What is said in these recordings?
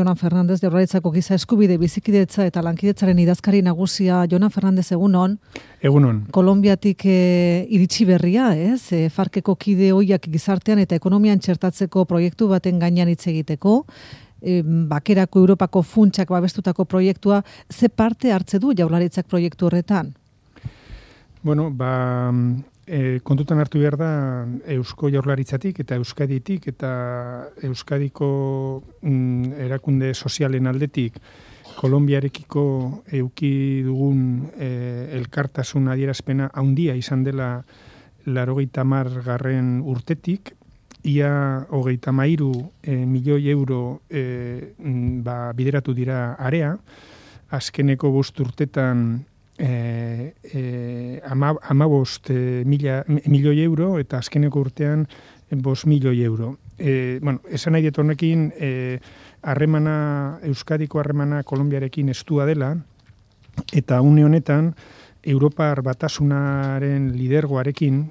Jonan Fernandez, Jaurlaritzako giza eskubide bizikidetza eta lankidetzaren idazkari nagusia. Jonan Fernandez, egunon. Egunon. Kolonbiatik iritsi berria, ez? Farkeko kide hoiak gizartean eta ekonomian txertatzeko proiektu baten gainean hitz egiteko. Bakerako Europako funtsak babestutako proiektua, ze parte hartze du Jaurlaritzak proiektu horretan? Bueno, kontutan hartu behar da Eusko Jaurlaritzatik eta Euskaditik eta Euskadiko erakunde sozialen aldetik Kolonbiarekiko eduki dugun elkartasun adierazpena handia izan dela 80. urtetik, ia 33 milioi euro bideratu dira area, azkeneko 5 urtetan 15 milioi euro eta azkeneko urtean 5 milioi euro. Esan nahi dut honekin, Euskadiko harremana Kolonbiarekin estua dela, eta une honetan Europar Batasunaren lidergoarekin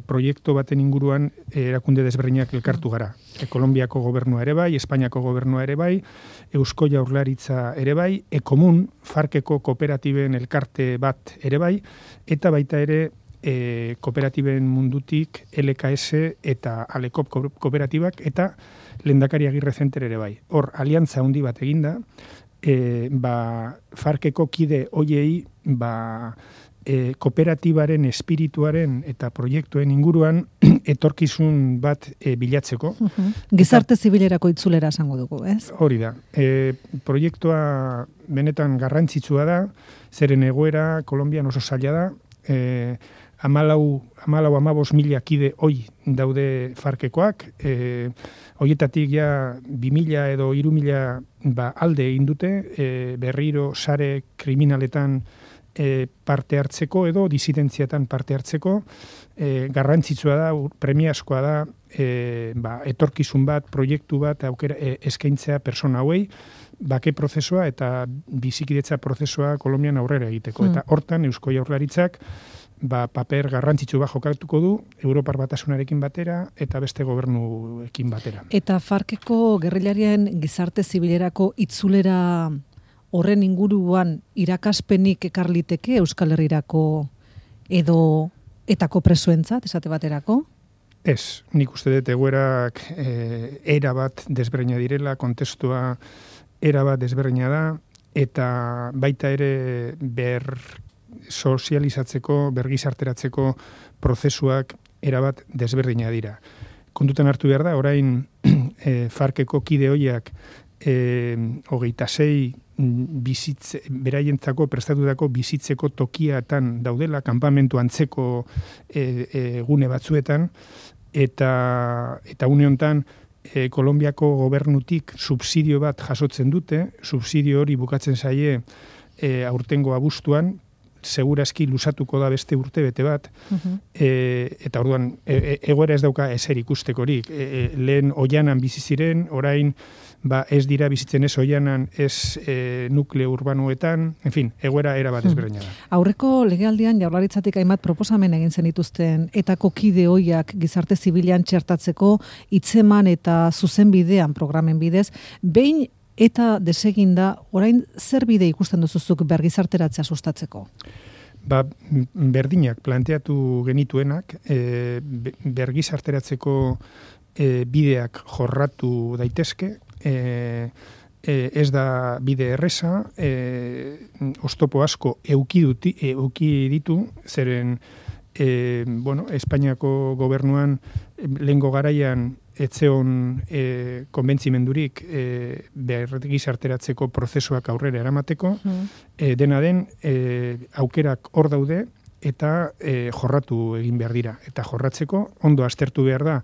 proiektu baten inguruan erakunde desberdinak elkartu gara. Kolonbiako gobernua ere bai, Espainiako gobernua ere bai, Eusko Jaurlaritza ere bai, Ekomun, Farkeko kooperatiben elkarte bat ere bai, eta baita ere kooperatiben mundutik LKS eta Alekop kooperatibak eta Lehendakari Agirre Center ere bai. Hor, aliantza handi bat eginda, Farkeko kide hoiei kooperatibaren espirituaren eta proiektuen inguruan etorkizun bat bilatzeko. Gizarte zibilerako itzulera esango dugu, ez? Hori da. Proiektua benetan garrantzitsua da, zeren egoera Kolonbian oso zaila da, 15 mila kide hoi daude Farkekoak, hoietatik ja 2000 edo 3000 alde egin dute, berriro sare kriminaletan parte hartzeko edo disidentziatan parte hartzeko, garrantzitsua da, premiazkoa da, etorkizun bat, proiektu bat, aukera eskaintzea persona hauei, bake prozesua eta bizikidetza prozesua Kolonbian aurrera egiteko. Eta hortan Eusko Jaurlaritzak paper garrantzitsu bat jokatuko du Europar Batasunarekin batera eta beste gobernuekin batera. Eta Farkeko gerrillarien gizarte zibilerako itzulera horren inguruan irakaspenik ekarliteke Euskal Herrirako edo etako presoentzat, esate baterako? Ez, nik uste dut egoerak era bat desberdina direla, kontestua era bat desberdina da, eta baita ere sozializatzeko, bergizarteratzeko prozesuak erabat desberdina dira. Kontutan hartu behar da, orain Farkeko kide hoiak 26 beraientzako prestatutako bizitzeko tokiatan daudela, kanpamentu antzeko gune batzuetan, eta une honetan Kolonbiako gobernutik subsidio bat jasotzen dute, subsidio hori bukatzen zaie aurtengo abuztuan, segurazki lusatuko da beste urte bete bat, eta orduan egoera ez dauka ezer ikustekorik. Lehen oianan bizi ziren, orain ez dira bizitzen ez oianan, ez nukleo urbanoetan, en fin, egoera era bat ezberdina da. Aurreko legealdian Jaurlaritzatik hainbat proposamen egin zenituzten etako kide hoiak gizarte zibilean txertatzeko hitzeman eta zuzenbidean programen bidez, behin eta deseginda, orain zer bide ikusten duzuzuk bergizarteratzea sustatzeko? Berdinak planteatu genituenak, bergizarteratzeko bideak jorratu daitezke, ez da bide erreza, oztopo asko euki ditu, zeren Espainiako gobernuan lehengo garaian etzeon konbentzimendurik bergizarteratzeko prozesuak aurrera eramateko, dena den aukerak hor daude eta jorratu egin behar dira. Eta jorratzeko ondo aztertu behar da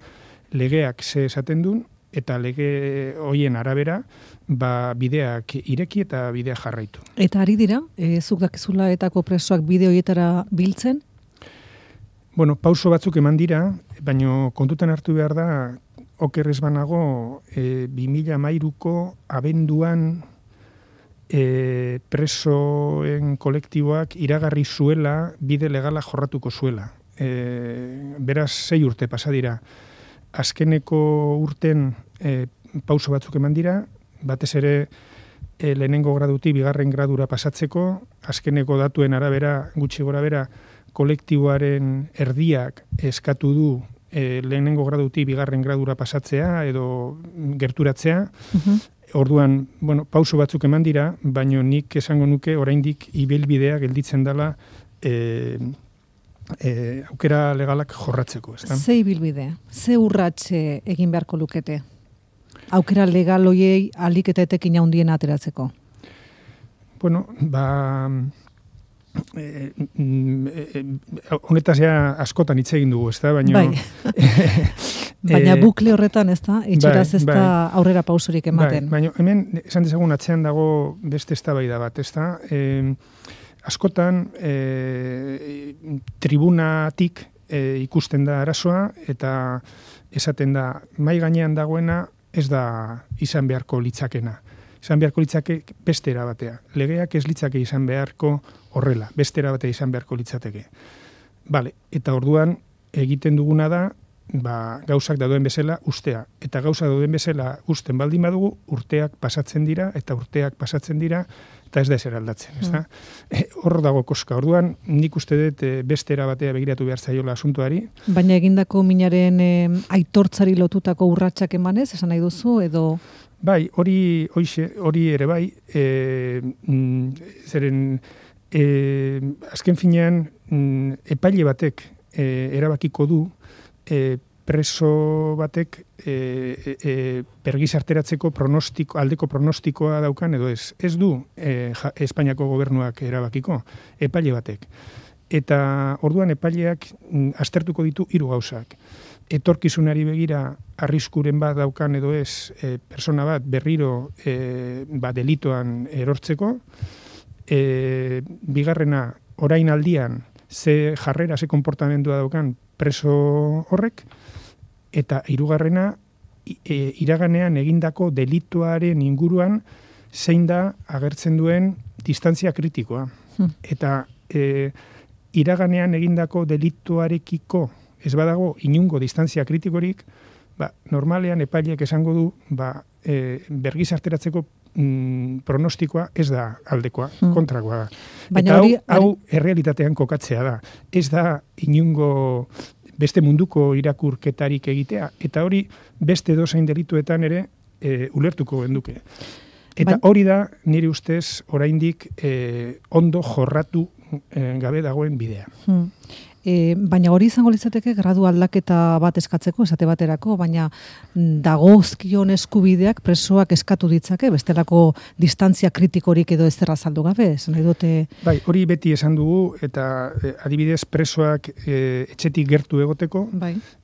legeak ze esaten duen, eta lege hoien arabera bideak ireki eta bideak jarraitu. Eta ari dira, zuk dakizula etako presoak bide hoietara biltzen? Pauso batzuk eman dira, baina kontutan hartu behar da, oker ez banago, 2013ko abenduan presoen kolektiboak iragarri zuela bide legala jorratuko zuela. Beraz, 6 urte pasa dira. Azkeneko urten pauso batzuk eman dira, batez ere lehenengo gradutik bigarren gradura pasatzeko, azkeneko datuen arabera, gutxi gora bera, kolektiboaren erdiak eskatu du lehenengo gradutik bigarren gradura pasatzea edo gerturatzea. Orduan, pauso batzuk eman dira, baino nik esango nuke oraindik ibilbidea gelditzen dela aukera legalak jorratzeko. Ze ibilbide? Ze urratxe egin beharko lukete? Aukera legal hoiei alik eta etekin handien ateratzeko? Honetaz ja askotan hitz egin dugu, ezta? Baina bukle horretan, ezta? Itxuraz ez da aurrera pausorik ematen. Baina hemen, esan dezagun atzean dago beste eztabaida bat, ezta? Askotan tribunatik ikusten da arazoa eta esaten da mai gainean dagoena ez da izan beharko litzakena. Izan beharko litzake beste erabatea. Legeak ez litzake izan beharko horrela, beste erabatea izan beharko litzateke. Eta orduan egiten duguna da gauzak dauden bezala ustea. Eta gauzak dauden bezala usten baldin badugu, urteak pasatzen dira, eta ez da ezer aldatzen. Hor dago koska. Orduan, nik uste dut beste erabatea begiratu behar zaiola asuntuari. Baina egindako minaren aitortzari lotutako urratsak emanez, esan nahi duzu, edo... Bai, hori ere bai, zeren azken finean epaile batek erabakiko du preso batek pergizarteratzeko aldeko pronostikoa daukan edo ez. Ez du Espainiako gobernuak erabakiko, epaile batek. Eta orduan epaileak aztertuko ditu 3 gauzak. Etorkizunari begira arriskuren bat daukan edo ez persona bat berriro delitoan erortzeko. Bigarrena, orain aldian, ze jarrera, ze konportamendua daukan preso horrek, eta 3. Iraganean egindako delituaren inguruan zein da agertzen duen distantzia kritikoa. Eta iraganean egindako delituarekiko ez badago inungo distantzia kritikorik, normalean epaileak esango du bergizarteratzeko pronostikoa ez da aldekoa, kontrakoa da. Eta hau errealitatean kokatzea da. Ez da inungo beste munduko irakurketarik egitea, eta hori beste dozein delituetan ere ulertuko genduke. Eta hori da nire ustez oraindik ondo jorratu gabe dagoen bidea. Baina hori izango litzateke gradu aldaketa bat eskatzeko, esate baterako, baina dagozkion eskubideak presoak eskatu ditzake, bestelako distantzia kritikorik edo ez azaldu gabe, esan nahi dute... Bai, hori beti esan dugu, eta adibidez presoak etxetik gertu egoteko,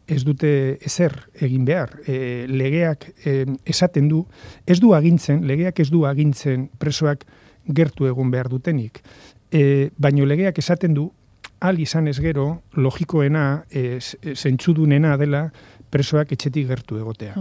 ez dute ezer egin behar. Legeak esaten du, legeak ez du agintzen presoak gertu egon behar dutenik. Baina legeak esaten du, al izan ez gero, logikoena, zentzudunena dela presoak etxetik gertu egotea.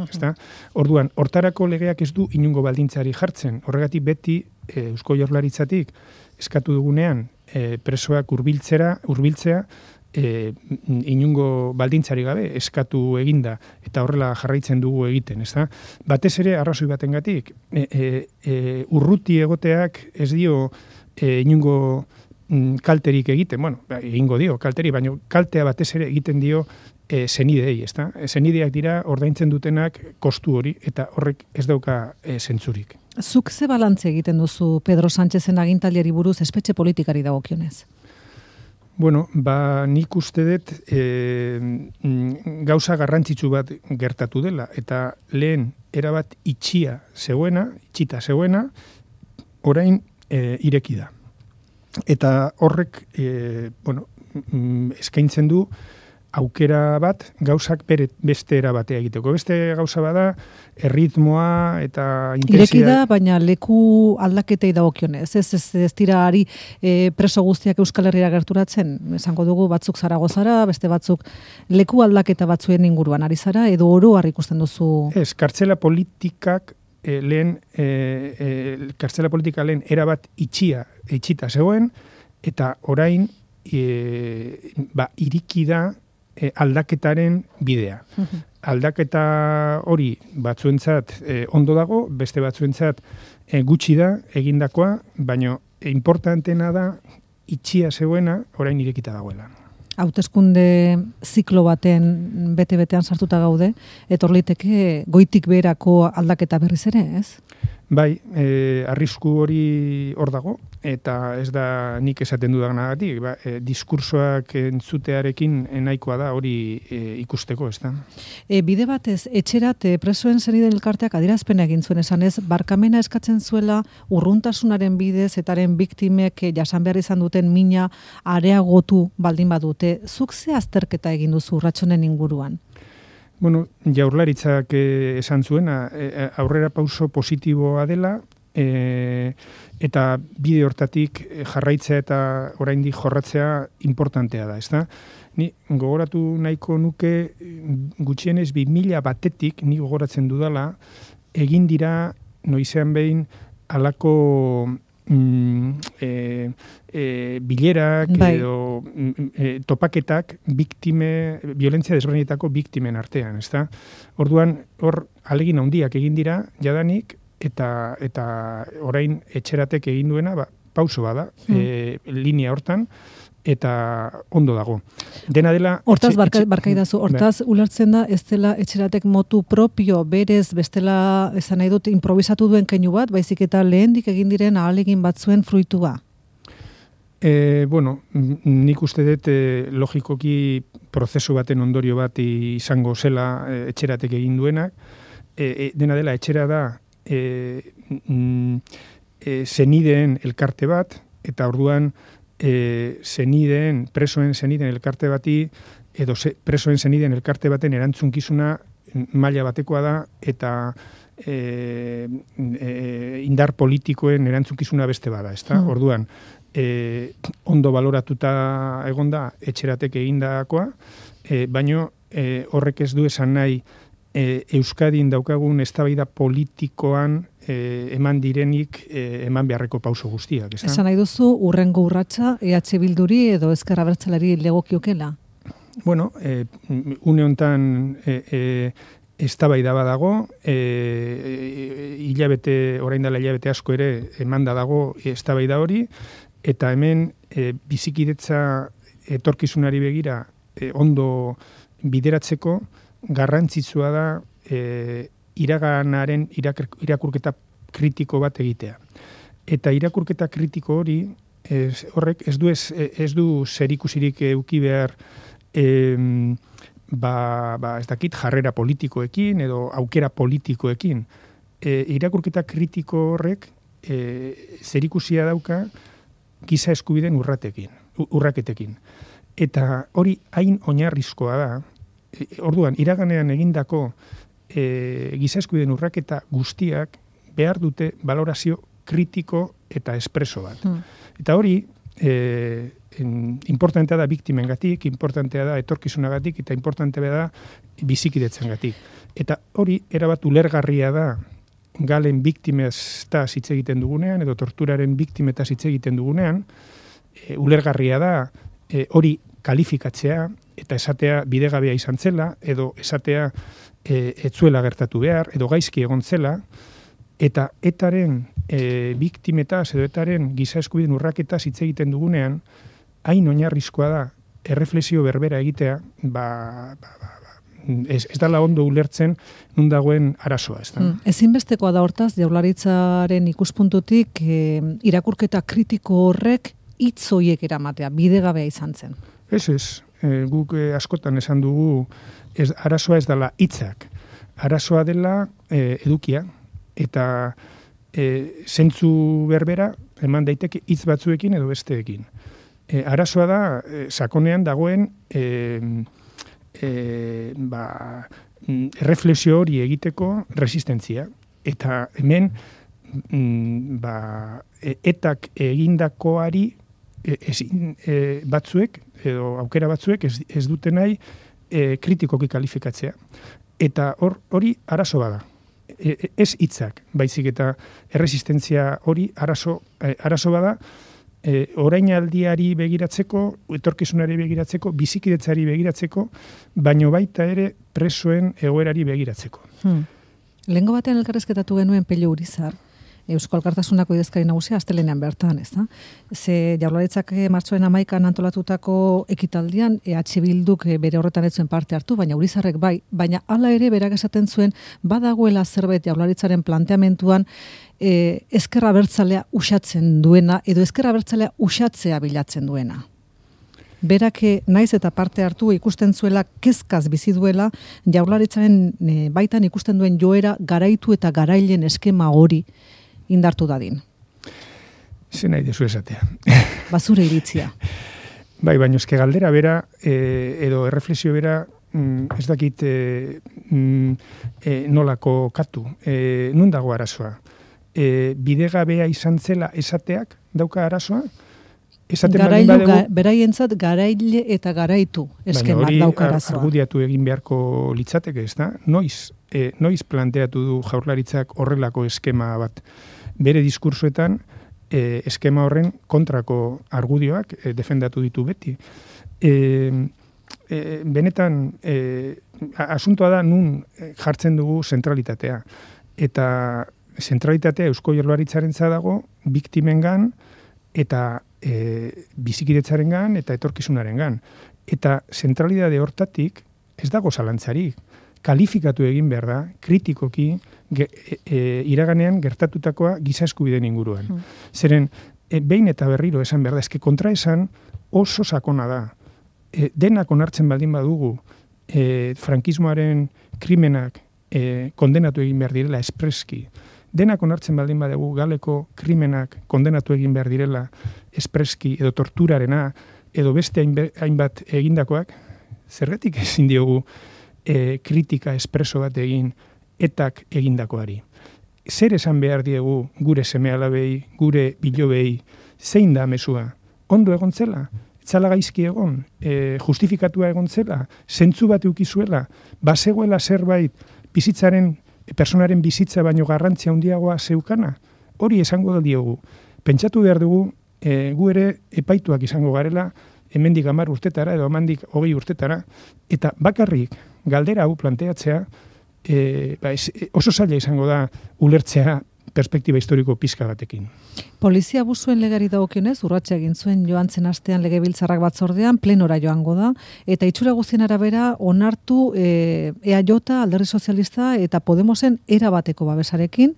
Orduan, hortarako legeak ez du inungo baldintzari jartzen. Horregatik beti Eusko Jaurlaritzatik eskatu dugunean presoak hurbiltzea inungo baldintzari gabe eskatu eginda eta horrela jarraitzen dugu egiten. Batez ere arrazoi batengatik urruti egoteak ez dio inungo kalterik egiten, egingo dio kalteri, baina kaltea batez ere egiten dio zenidei, zenideak dira ordaintzen dutenak kostu hori, eta horrek ez dauka zentzurik. Zuk ze balantze egiten duzu Pedro Sánchezen agintariari buruz espetxe politikari dagokionez? Nik uste dut gauza garrantzitsu bat gertatu dela, eta lehen erabat itxita zegoena, orain ireki da. Eta horrek eskaintzen du aukera bat gauzak beste erabatea egiteko. Beste gauza bada erritmoa eta intensidade. Ireki da, baina leku aldaketei dagokionez. Ez dira ari preso guztiak Euskal Herrira gerturatzen. Esango dugu batzuk Zaragozara, beste batzuk leku aldaketa batzuen inguruan ari zara, edo oro har ikusten duzu. Ez, kartzela politikak lehen erabat itxita zegoen, eta orain iriki da aldaketaren bidea. aldaketa hori batzuentzat ondo dago, beste batzuentzat gutxi da egindakoa, baina importanteena da itxia zegoena orain irekita dagoela. Hauteskunde ziklo baten bete-betean sartuta gaude, etor liteke goitik beherako aldaketa berriz ere, ez? Bai, arrisku hori hor dago, eta ez da nik esaten dudanagatik, diskursoak entzutearekin nahikoa da hori ikusteko, ez da? Bide batez, etxerat presoen zeniden elkarteak adierazpena egin zuen esanez, barkamena eskatzen zuela urruntasunaren bidez etaren biktimek jasan behar izan duten mina areagotu baldin badute. Zuk ze azterketa egin duzu urratsonen inguruan? Bueno, Jaurlaritzak esan zuena, aurrera pauso positiboa dela, eta bide hortatik jarraitzea eta oraindik jorratzea importantea da, ezta? Ni gogoratu nahiko nuke gutxienez 2000 batetik, ni gogoratzen dudala, egin dira noizean behin halako bilerak edo topaketak violentzia desberdinetako biktimen artean, ezta? Orduan, hor ahalegin handiak egin dira jadanik eta orain etxeratek egin duena, pauso bada, linea hortan, eta ondo dago. Dena dela... Hortaz, barkaidazu, hortaz ulertzen da, ez dela etxeratek motu propio, berez, bestela, esan nahi dut, improvisatu duen keinu bat, baizik eta lehendik egin diren ahalegin batzuen fruitua? Bueno, nik uste dut logikoki prozesu baten ondorio bat izango zela etxeratek egin duenak. Dena dela, etxera da zenideen elkarte bat, eta orduan presoen zenideen elkarte bati, edo presoen zenideen elkarte baten erantzunkizuna maila batekoa da, eta indar politikoen erantzunkizuna beste bada, ezta? Orduan, ondo baloratuta egonda etxeratek egindakoa, baino horrek ez du esan nahi Euskadin daukagun eztabaida politikoan eman direnik eman beharreko pauso guztiak. Esan nahi duzu, urrengo urratsa EH Bilduri edo Ezker Abertzaleari legokiokela? Bueno, une hontan eztabaida badago, orain dela hilabete asko ere emanda dago eztabaida hori, eta hemen bizikidetza etorkizunari begira ondo bideratzeko garrantzitsua da iraganaren irakurketa kritiko bat egitea. Eta irakurketa kritiko hori horrek ez du zerikusirik eduki behar ez dakit jarrera politikoekin edo aukera politikoekin. Irakurketa kritiko horrek zerikusia dauka giza eskubideen urraketekin. Eta hori hain oinarrizkoa da. Orduan, iraganean egindako giza eskubideen urraketa guztiak behar dute valorazio kritiko eta espreso bat. Eta hori, importantea da biktimengatik, importantea da etorkizunagatik, eta importantea da bizikidetzengatik. Eta hori, erabat ulergarria da galen biktimetaz hitz egiten dugunean, edo torturaren biktimetaz hitz egiten dugunean, ulergarria da hori kalifikatzea, eta esatea bidegabea izan zela, edo esatea etzuela gertatu behar, edo gaizki egon zela, eta etaren biktimetaz edo etaren giza eskubideen urraketaz hitz egiten dugunean, hain oinarrizkoa da erreflexio berbera egitea, ez dela ondo ulertzen nun dagoen arazoa. Ezinbestekoa da hortaz, Jaurlaritzaren ikuspuntutik irakurketa kritiko horrek hitz horiek eramatea, bidegabea izan zen. Ez. Guk askotan esan dugu arazoa ez dela hitzak. Arazoa dela edukia, eta zentzu berbera eman daiteke hitz batzuekin edo besteekin. Arazoa da sakonean dagoen erreflexio hori egiteko resistentzia. Eta hemen etak egindakoari batzuek edo aukera batzuek ez dute nahi kritikoki kalifikatzea. Eta hori arazo bada. Ez hitzak, baizik eta erresistentzia hori arazo bada, orainaldiari begiratzeko, etorkizunari begiratzeko, bizikidetzari begiratzeko, baino baita ere presoen egoerari begiratzeko. Lehengo batean elkarrezketatu genuen Pello Urizar, Eusko Alkartasunako idazkari nagusia astelehenean bertan, ez da? Ze Jaurlaritzak martxoaren 11an antolatutako ekitaldian EH Bilduk bere horretan ez zuen parte hartu, baina Urizarrek bai, baina hala ere berak esaten zuen badagoela zerbait Jaurlaritzaren planteamentuan ezker abertzalea uxatzen duena edo ezker abertzalea uxatzea bilatzen duena. Berak naiz eta parte hartu ikusten zuela kezkaz bizi duela Jaurlaritzaren baitan ikusten duen joera garaitu eta garailen eskema hori indartu dadin. Ze nahi dezu esatea. Bazure iritzia. Bai, baina eske galdera bera edo erreflexio bera ez dakit nolako katu. Nun dago arazoa? Bidegabea izan zela esateak dauka arazoa? Beraientzat garaile eta garaitu eskemak dauka arazoa. Baina hori argudiatu egin beharko litzateke, ez da? Noiz planteatu du Jaurlaritzak horrelako eskema bat? Bere diskursoetan eskema horren kontrako argudioak defendatu ditu beti. Benetan, asuntoa da nun jartzen dugu zentralitatea. Eta zentralitatea Eusko Jaurlaritzarentzat dago biktimengan eta bizikidetzarengan eta etorkizunarengan. Eta zentralitate hortatik ez dago zalantzarik. Kalifikatu egin behar da, kritikoki, iraganean gertatutakoa giza eskubideen inguruan. Zeren, behin eta berriro esan behar da, eske kontraesan oso sakona da. Denak onartzen baldin badugu, frankismoaren krimenak kondenatu egin behar direla espreski. Denak onartzen baldin badugu galeko krimenak kondenatu egin behar direla espreski edo torturarena edo beste hainbat egindakoak, zergatik ezin diogu kritika espreso bat egin etak egindakoari. Zer esan behar diegu gure seme-alabei, gure bilobei, zein da mezua? Ondo egon zela? Etzala gaizki egon? Justifikatua egon zela? Zentzu bat eukizuela? Bazegoela zerbait personaren bizitza baino garrantzia handiagoa zeukana? Hori esango diogu. Pentsatu behar dugu, gu ere epaituak izango garela, hemendik 10 urtetara edo hemendik 20 urtetara, eta bakarrik galdera hau planteatzea oso zaila izango da ulertzea perspektiba historiko pizka batekin. Polizia abusuen legari dagokionez urratsa egin zuen joan zen astean Legebiltzarrak batzordean plenora joango da eta itxura guztien arabera onartu EAJ, Alderdi Sozialista eta Podemosen erabateko babesarekin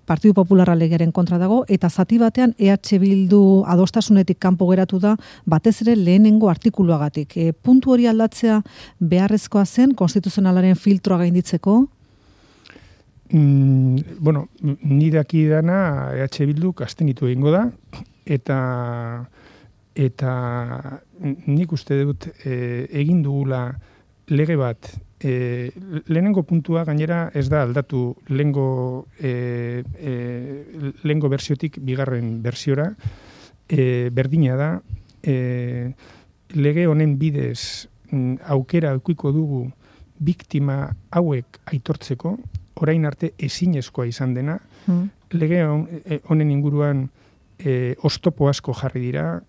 Partidu Popularra legearen kontra dago eta zati batean EH Bildu adostasunetik kanpo geratu da batez ere lehenengo artikuluagatik. Puntu hori aldatzea beharrezkoa zen konstituzionalaren filtroa gainditzeko? Ni daki dana EH Bilduk abstenitu egingo da eta nik uste dut egin dugula lege bat. Lehenengo puntua gainera ez da aldatu lehengo bersiotik bigarren bersiora. Berdina da, lege honen bidez aukera aukiko dugu biktima hauek aitortzeko, orain arte ezinezkoa izan dena. Lege honen inguruan oztopo asko jarri dira,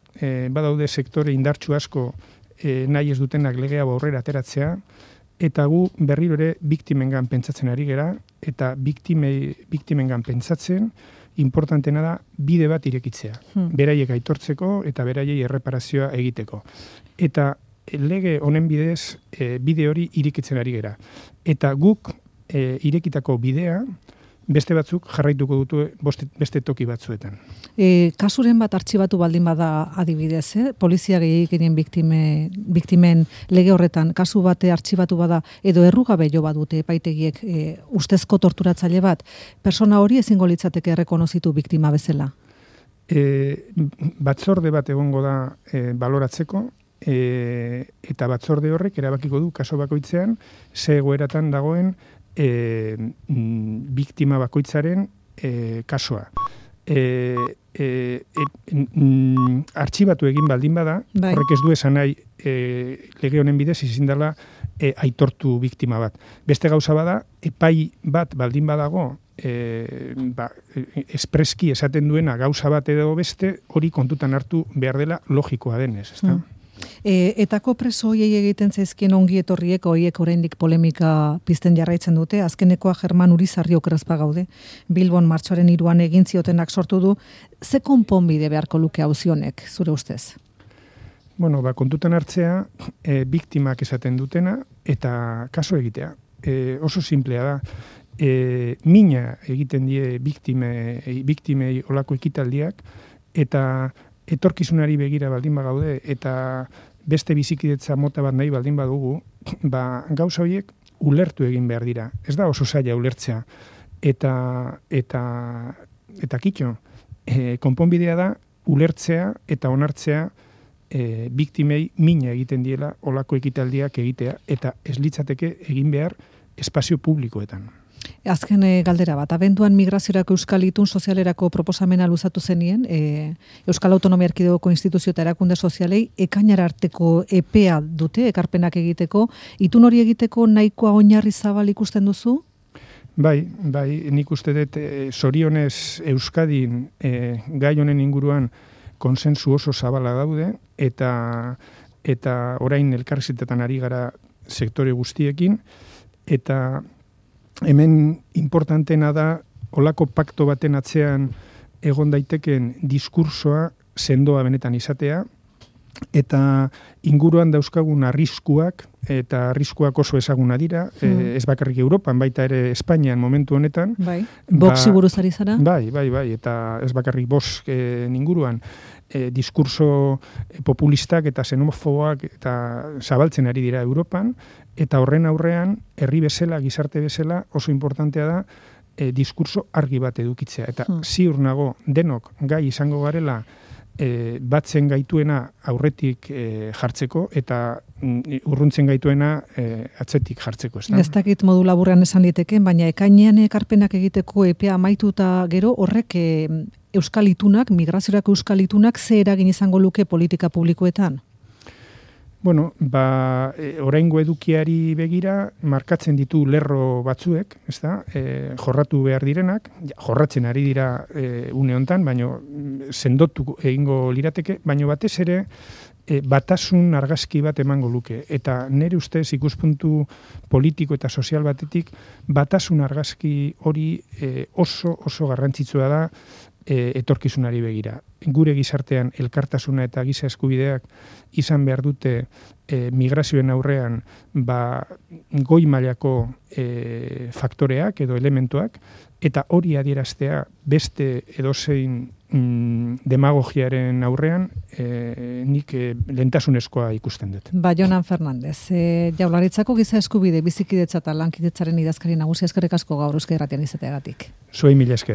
badaude sektore indartsu asko nahi ez dutenak legea aurrera ateratzea, eta gu berriro ere biktimengan pentsatzen ari gera, eta biktimengan pentsatzen, importantena da bide bat irekitzea. Beraiek aitortzeko eta beraiei erreparazioa egiteko. Eta lege honen bidez bide hori irekitzen ari gera. Eta guk irekitako bidea beste batzuk jarraituko dutu beste toki batzuetan. Kasuren bat artxibatu baldin bada adibidez, polizia gehiagikenen biktimen lege horretan kasu bate artxibatu bada edo errugabe jo badute epaitegiek ustezko torturatzaile bat, persona hori ezingo litzateke errekonozitu biktima bezala? Batzorde bat egongo da baloratzeko, eta batzorde horrek erabakiko du kaso bakoitzean ze egoeratan dagoen biktima bakoitzaren kasua. Artxibatu egin baldin bada, horrek ez du esan nahi lege honen bidez ezin dela aitortu biktima bat. Beste gauza bada, epai bat baldin badago espreski esaten duena gauza bat edo beste, hori kontutan hartu behar dela logikoa denez, ezta? Etako preso hoiei egiten zaizkien ongi etorriek hoiek oraindik polemika pizten jarraitzen dute. Azkenekoa German Urizarri okerazpa gaude. Bilbon martxoaren 3 egin ziotenak sortu du. Ze konponbide beharko luke auzionek, zure ustez? Bueno, kontutan hartzea, biktimak esaten dutena eta kaso egitea. Oso simplea da. Mina egiten die biktimei olako ekitaldiak eta etorkizunari begira baldin bagaude eta beste bizikidetza mota bat nahi baldin badugu, gauza horiek ulertu egin behar dira. Ez da oso zaila ulertzea. Eta kitxo, konponbidea da ulertzea eta onartzea biktimei mina egiten diela olako ekitaldiak egitea eta ez litzateke egin behar espazio publikoetan. Azken galdera bat, abenduan migraziorako Euskal Itun sozialerako proposamena luzatu zenien, Euskal Autonomia Erkidegoko instituzio eta erakunde sozialei ekainara arteko epea dute, ekarpenak egiteko, itun hori egiteko nahikoa oinarri zabal ikusten duzu? Bai, nik uste dut zorionez Euskadin gai honen inguruan konsensu oso zabala daude, eta orain elkarrizketetan ari gara sektore guztiekin, eta hemen importantena da olako pakto baten atzean egon daiteken diskursoa sendoa benetan izatea, eta inguruan dauzkagun arriskuak, eta arriskuak oso ezaguna dira, ez bakarrik Europan, baita ere Espainian momentu honetan. Bai, boksi buruz ari zara? Bai, eta ez bakarrik bosk inguruan, diskurso populistak eta xenofoboak eta zabaltzen ari dira Europan, eta horren aurrean, herri bezala, gizarte bezala, oso importantea da, diskurso argi bat edukitzea. Eta ziur nago denok gai izango garela batzen gaituena aurretik jartzeko eta urruntzen gaituena atzetik jartzeko. Ez dakit modu laburrean esan liteken, baina ekainean ekarpenak egiteko epea amaituta gero horrek Euskal Itunak, migraziorako Euskal Itunak ze eragin izango luke politika publikoetan? Bueno, oraingo edukiari begira markatzen ditu lerro batzuek, ezta? Jorratu behar direnak, jorratzen ari dira une hontan, baino sendotu egingo lirateke, baino batez ere batasun argazki bat emango luke. Eta nire ustez ikuspuntu politiko eta sozial batetik batasun argazki hori oso garrantzitsua da etorkizunari begira. Gure gizartean elkartasuna eta giza eskubideak izan behar dute migrazioen aurrean goi mailako faktoreak edo elementuak, eta hori adieraztea beste edozein demagogiaren aurrean nik lehentasunezkoa ikusten dut. Jonan Fernandez, Jaurlaritzako giza eskubide bizikidetza eta lankidetzaren idazkari nagusia, eskerrik asko gaur Euskadi Irratian izateagatik. Zuei mila esker.